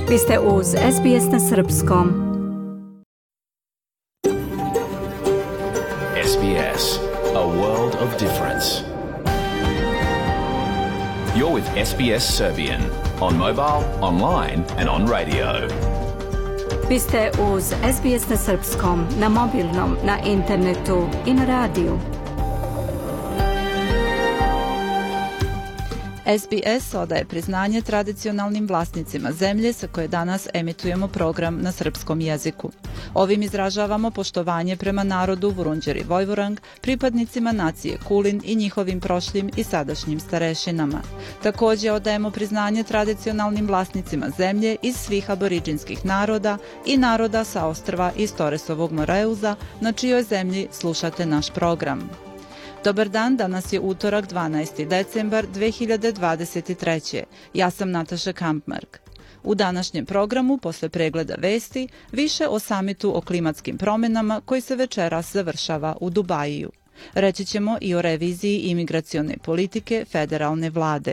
Vi ste uz SBS na Srpskom. SBS, a world of difference. You're with SBS Serbian on mobile, online and on radio. Vi ste uz SBS na Srpskom, na mobilnom, na internetu i na radiju. SBS odaje priznanje tradicionalnim vlasnicima zemlje sa koje danas emitujemo program na srpskom jeziku. Ovim izražavamo poštovanje prema narodu Vurundjeri Vojvorang, pripadnicima nacije Kulin i njihovim prošlim i sadašnjim starešinama. Također odajemo priznanje tradicionalnim vlasnicima zemlje iz svih aboriđinskih naroda i naroda sa ostrva iz Toresovog Moreuza, na čijoj zemlji slušate naš program. Dobar dan, danas je utorak 12. decembar 2023. Ja sam Nataša Kampmark. U današnjem programu, posle pregleda vesti, više o samitu o klimatskim promjenama koji se večeras završava u Dubajiju. Reći ćemo i o reviziji imigracione politike federalne vlade.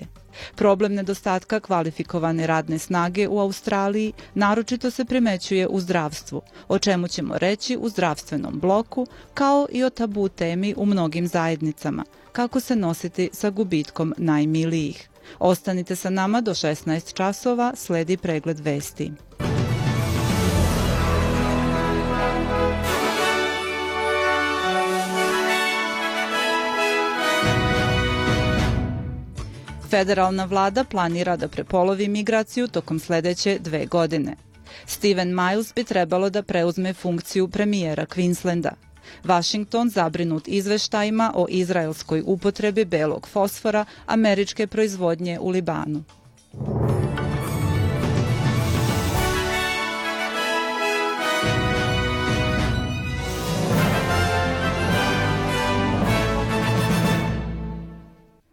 Problem nedostatka kvalifikovane radne snage u Australiji naročito se primećuje u zdravstvu, o čemu ćemo reći u zdravstvenom bloku, kao i o tabu temi u mnogim zajednicama, kako se nositi sa gubitkom najmilijih. Ostanite sa nama do 16 časova, sledi pregled vesti. Federalna vlada planira da prepolovi migraciju tokom sljedeće 2 godine. Stephen Miles bi trebalo da preuzme funkciju premijera Queenslanda. Washington zabrinut izveštajima o izraelskoj upotrebi belog fosfora američke proizvodnje u Libanu.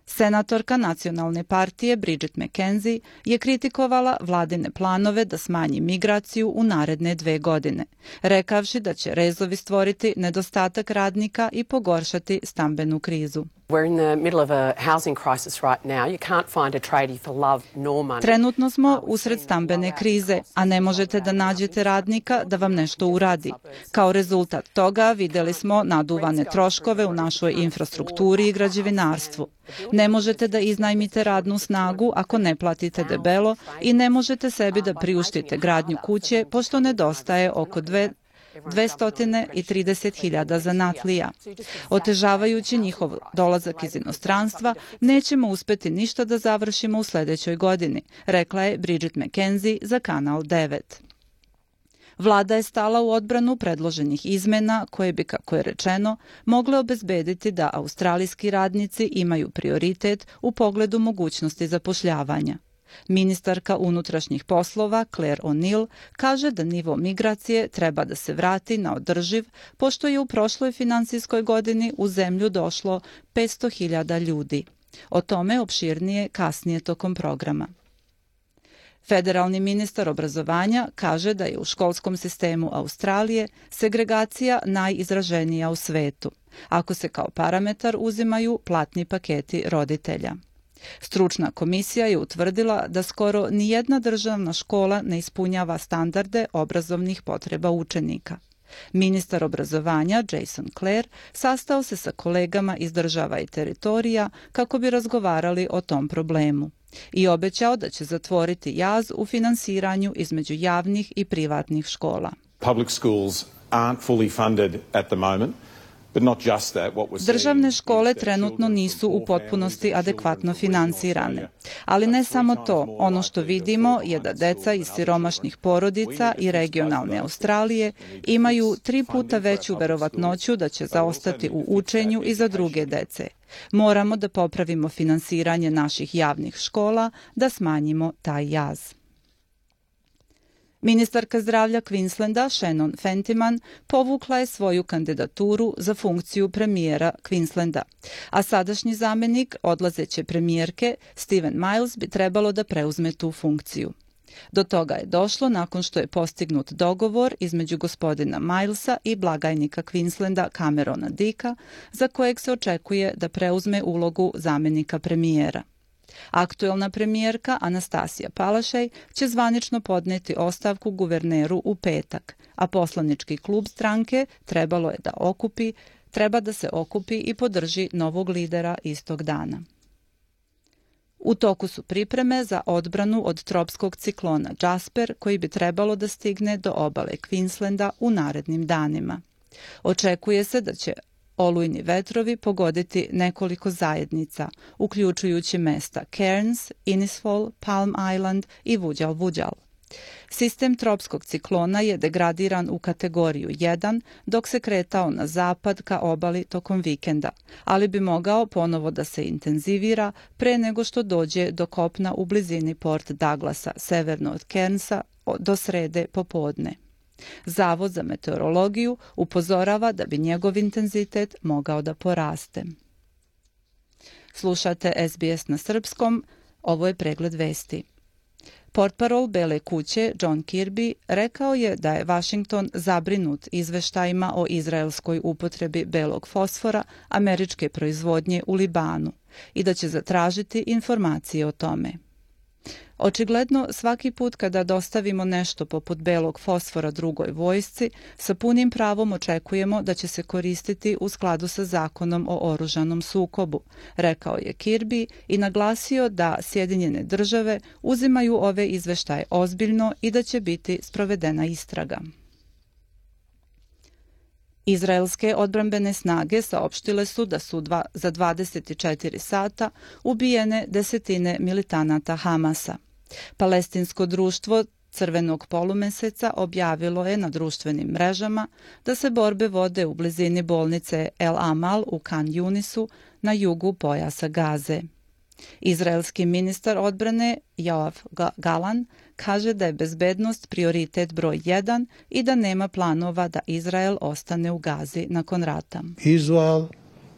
Senatorka nacionalne partije Bridget McKenzie je kritikovala vladine planove da smanji migraciju u naredne 2 godine, rekavši da će rezovi stvoriti nedostatak radnika i pogoršati stambenu krizu. Trenutno smo usred stambene krize, a ne možete da nađete radnika da vam nešto uradi. Kao rezultat toga vidjeli smo naduvane troškove u našoj infrastrukturi i građevinarstvu. Ne možete da iznajmite radnu snagu ako ne platite debelo i ne možete sebi da priuštite gradnju kuće pošto nedostaje oko 230.000 zanatlija. Otežavajući njihov dolazak iz inostranstva, nećemo uspjeti ništa da završimo u sljedećoj godini, rekla je Bridget McKenzie za Kanal 9. Vlada je stala u odbranu predloženih izmena koje bi, kako je rečeno, mogle obezbediti da australijski radnici imaju prioritet u pogledu mogućnosti zapošljavanja. Ministarka unutrašnjih poslova Claire O'Neill kaže da nivo migracije treba da se vrati na održiv, pošto je u prošloj finansijskoj godini u zemlju došlo 500.000 ljudi. O tome opširnije kasnije tokom programa. Federalni ministar obrazovanja kaže da je u školskom sistemu Australije segregacija najizraženija u svetu, ako se kao parametar uzimaju platni paketi roditelja. Stručna komisija je utvrdila da skoro nijedna državna škola ne ispunjava standarde obrazovnih potreba učenika. Ministar obrazovanja Jason Clare sastao se sa kolegama iz država i teritorija kako bi razgovarali o tom problemu i obećao da će zatvoriti jaz u finansiranju između javnih i privatnih škola. Public schools aren't fully funded at the moment. Državne škole trenutno nisu u potpunosti adekvatno finansirane. Ali ne samo to, ono što vidimo je da deca iz siromašnih porodica i regionalne Australije imaju 3 puta veću verovatnoću da će zaostati u učenju i za druge dece. Moramo da popravimo finansiranje naših javnih škola, da smanjimo taj jaz. Ministarka zdravlja Queenslanda Shannon Fentiman povukla je svoju kandidaturu za funkciju premijera Queenslanda, a sadašnji zamjenik odlazeće premijerke Stephen Miles bi trebalo da preuzme tu funkciju. Do toga je došlo nakon što je postignut dogovor između gospodina Milesa i blagajnika Queenslanda Camerona Dicka, za kojeg se očekuje da preuzme ulogu zamjenika premijera. Aktuelna premijerka Anastasija Palašej će zvanično podneti ostavku guverneru u petak, a poslanički klub stranke treba da se okupi i podrži novog lidera istog dana. U toku su pripreme za odbranu od tropskog ciklona Jasper, koji bi trebalo da stigne do obale Queenslanda u narednim danima. Očekuje se da će olujni vetrovi pogoditi nekoliko zajednica, uključujući mesta Cairns, Innisfall, Palm Island i Vuđal. Sistem tropskog ciklona je degradiran u kategoriju 1 dok se kretao na zapad ka obali tokom vikenda, ali bi mogao ponovo da se intenzivira pre nego što dođe do kopna u blizini Port Douglasa, severno od Cairnsa, do srede popodne. Zavod za meteorologiju upozorava da bi njegov intenzitet mogao da poraste. Slušate SBS na srpskom, ovo je pregled vesti. Portparol Bele kuće John Kirby rekao je da je Washington zabrinut izveštajima o izraelskoj upotrebi belog fosfora američke proizvodnje u Libanu i da će zatražiti informacije o tome. Očigledno, svaki put kada dostavimo nešto poput belog fosfora drugoj vojsci, sa punim pravom očekujemo da će se koristiti u skladu sa zakonom o oružanom sukobu, rekao je Kirby i naglasio da Sjedinjene države uzimaju ove izveštaje ozbiljno i da će biti sprovedena istraga. Izraelske odbrambene snage saopštile su da su za 24 sata ubijene desetine militanata Hamasa. Palestinsko društvo Crvenog polumeseca objavilo je na društvenim mrežama da se borbe vode u blizini bolnice El Amal u Kan Yunisu na jugu pojasa Gaze. Izraelski ministar odbrane Yoav Galan kaže da je bezbednost prioritet broj 1 i da nema planova da Izrael ostane u Gazi nakon rata. Israel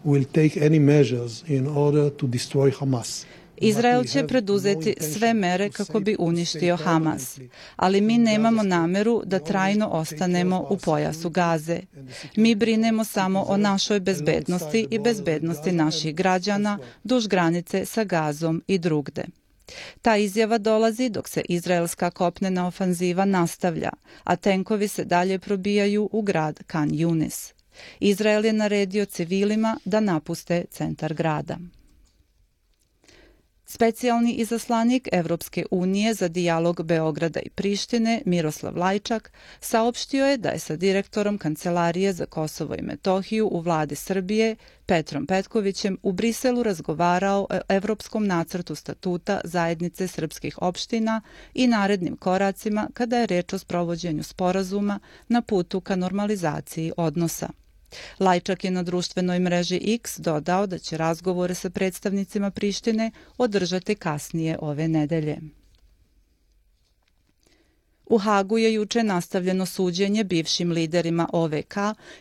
will take any measures in order to destroy Hamas. Izrael će preduzeti sve mere kako bi uništio Hamas, ali mi nemamo nameru da trajno ostanemo u pojasu Gaze. Mi brinemo samo o našoj bezbednosti i bezbednosti naših građana duž granice sa Gazom i drugde. Ta izjava dolazi dok se izraelska kopnena ofanziva nastavlja, a tenkovi se dalje probijaju u grad Kan Yunis. Izrael je naredio civilima da napuste centar grada. Specijalni izaslanik Evropske unije za dijalog Beograda i Prištine, Miroslav Lajčak, saopštio je da je sa direktorom Kancelarije za Kosovo i Metohiju u vladi Srbije, Petrom Petkovićem, u Briselu razgovarao o Evropskom nacrtu statuta Zajednice srpskih opština i narednim koracima kada je reč o sprovođenju sporazuma na putu ka normalizaciji odnosa. Lajčak je na društvenoj mreži X dodao da će razgovore sa predstavnicima Prištine održati kasnije ove nedelje. U Hagu je juče nastavljeno suđenje bivšim liderima OVK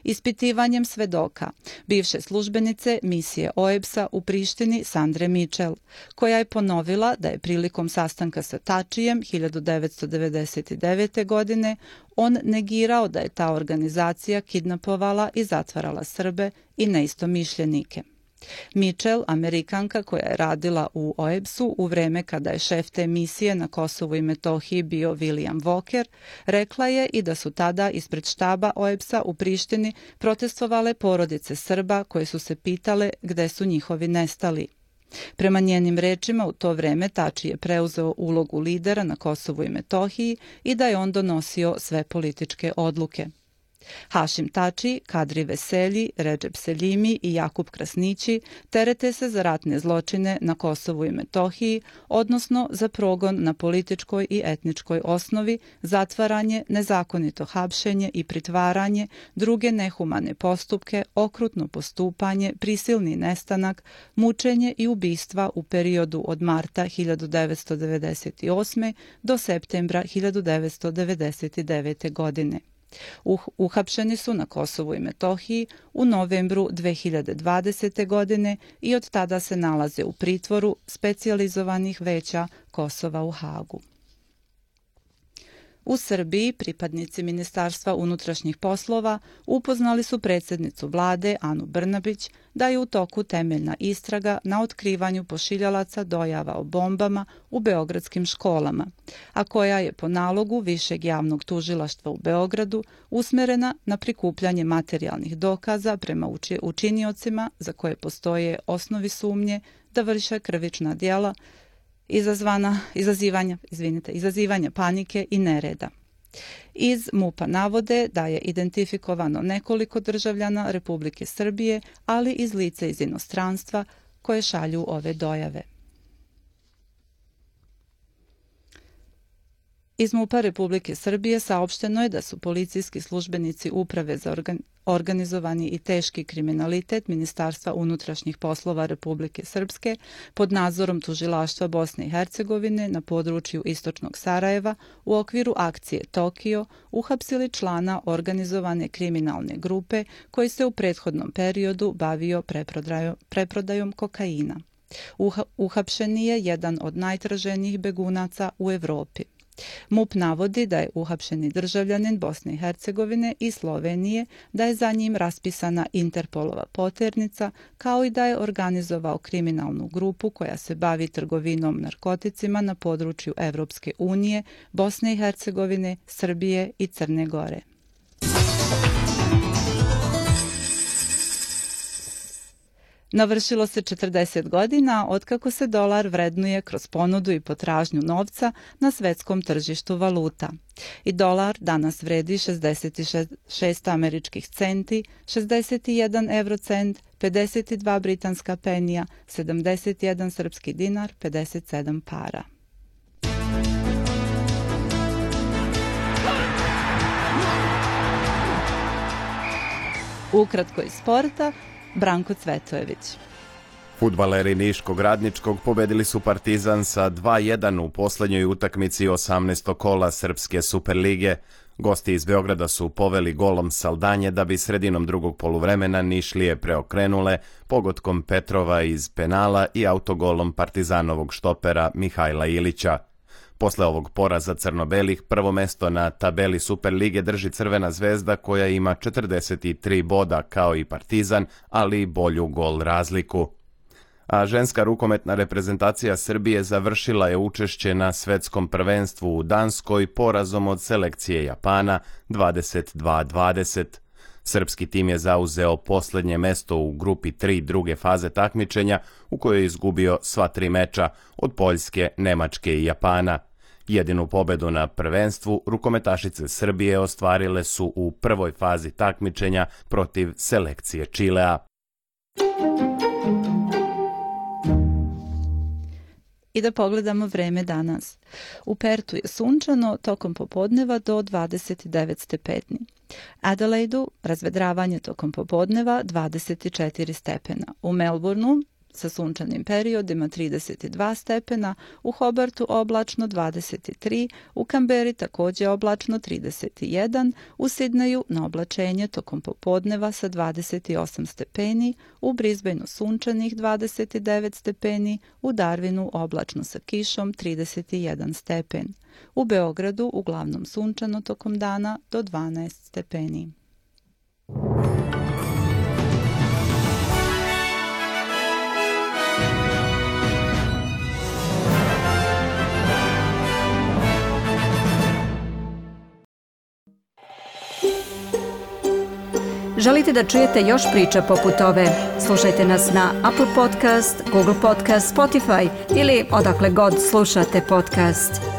ispitivanjem svedoka, bivše službenice misije OEBS-a u Prištini Sandre Mitchell, koja je ponovila da je prilikom sastanka sa Tačijem 1999. godine on negirao da je ta organizacija kidnapovala i zatvarala Srbe i neistomišljenike. Mitchell, Amerikanka koja je radila u OEBS-u u vreme kada je šef te misije na Kosovu i Metohiji bio William Walker, rekla je i da su tada ispred štaba OEBS-a u Prištini protestovale porodice Srba koje su se pitale gde su njihovi nestali. Prema njenim rečima, u to vreme Tači je preuzeo ulogu lidera na Kosovu i Metohiji i da je on donosio sve političke odluke. Hašim Tači, Kadri Veselji, Redžep Seljimi i Jakub Krasnići terete se za ratne zločine na Kosovu i Metohiji, odnosno za progon na političkoj i etničkoj osnovi, zatvaranje, nezakonito hapšenje i pritvaranje, druge nehumane postupke, okrutno postupanje, prisilni nestanak, mučenje i ubistva u periodu od marta 1998. do septembra 1999. godine. Uhapšeni su na Kosovu i Metohiji u novembru 2020. godine i od tada se nalaze u pritvoru specijalizovanih veća Kosova u Hagu. U Srbiji pripadnici Ministarstva unutrašnjih poslova upoznali su predsjednicu vlade Anu Brnabić da je u toku temeljna istraga na otkrivanju pošiljalaca dojava o bombama u beogradskim školama, a koja je po nalogu Višeg javnog tužilaštva u Beogradu usmerena na prikupljanje materijalnih dokaza prema učiniocima za koje postoje osnovi sumnje da vrše krivična djela izazivanja panike i nereda. Iz MUP-a navode da je identifikovano nekoliko državljana Republike Srbije, ali i lica iz inostranstva koje šalju ove dojave. Iz MUP-a Republike Srbije saopšteno je da su policijski službenici Uprave za organizovani i teški kriminalitet Ministarstva unutrašnjih poslova Republike Srpske pod nadzorom Tužilaštva Bosne i Hercegovine na području istočnog Sarajeva u okviru akcije Tokio uhapsili člana organizovane kriminalne grupe koji se u prethodnom periodu bavio preprodajom kokaina. Uhapšen je jedan od najtraženijih begunaca u Evropi. MUP navodi da je uhapšeni državljanin Bosne i Hercegovine i Slovenije, da je za njim raspisana Interpolova poternica, kao i da je organizovao kriminalnu grupu koja se bavi trgovinom narkoticima na području Evropske unije, Bosne i Hercegovine, Srbije i Crne Gore. Navršilo se 40 godina otkako se dolar vrednuje kroz ponudu i potražnju novca na svetskom tržištu valuta. I dolar danas vredi 66 američkih centi, 61 eurocent, 52 britanska penija, 71 srpski dinar, 57 para. Ukratko iz sporta, Branko Cvetojević. Fudbaleri Niškog Radničkog pobedili su Partizan sa 2:1 u posljednjoj utakmici 18. kola Srpske Superlige. Gosti iz Beograda su poveli golom Saldanje da bi sredinom drugog poluvremena Nišlije preokrenule pogodkom Petrova iz penala i autogolom Partizanovog štopera Mihajla Ilića. Posle ovog poraza crno-belih prvo mesto na tabeli Superlige drži Crvena zvezda koja ima 43 boda kao i Partizan, ali bolju gol razliku. A ženska rukometna reprezentacija Srbije završila je učešće na svetskom prvenstvu u Danskoj porazom od selekcije Japana 22-20. Srpski tim je zauzeo posljednje mesto u grupi 3 druge faze takmičenja u kojoj je izgubio sva 3 meča od Poljske, Nemačke i Japana. Jedinu pobedu na prvenstvu rukometašice Srbije ostvarile su u prvoj fazi takmičenja protiv selekcije Čilea. I da pogledamo vreme danas. U Pertu je sunčano tokom popodneva do 29 stepeni. Adelaidu razvedravanje tokom popodneva 24 stepena. U Melbourneu sa sunčanim periodima 32 stepena, u Hobartu oblačno 23, u Kamberi također oblačno 31, u Sidneju na oblačenje tokom popodneva sa 28 stepeni, u Brisbaneu sunčanih 29 stepeni, u Darwinu oblačno sa kišom 31 stepen. U Beogradu uglavnom sunčano tokom dana do 12 stepeni. Želite da čujete još priča poput ove? Slušajte nas na Apple Podcast, Google Podcast, Spotify ili odakle god slušate podcast.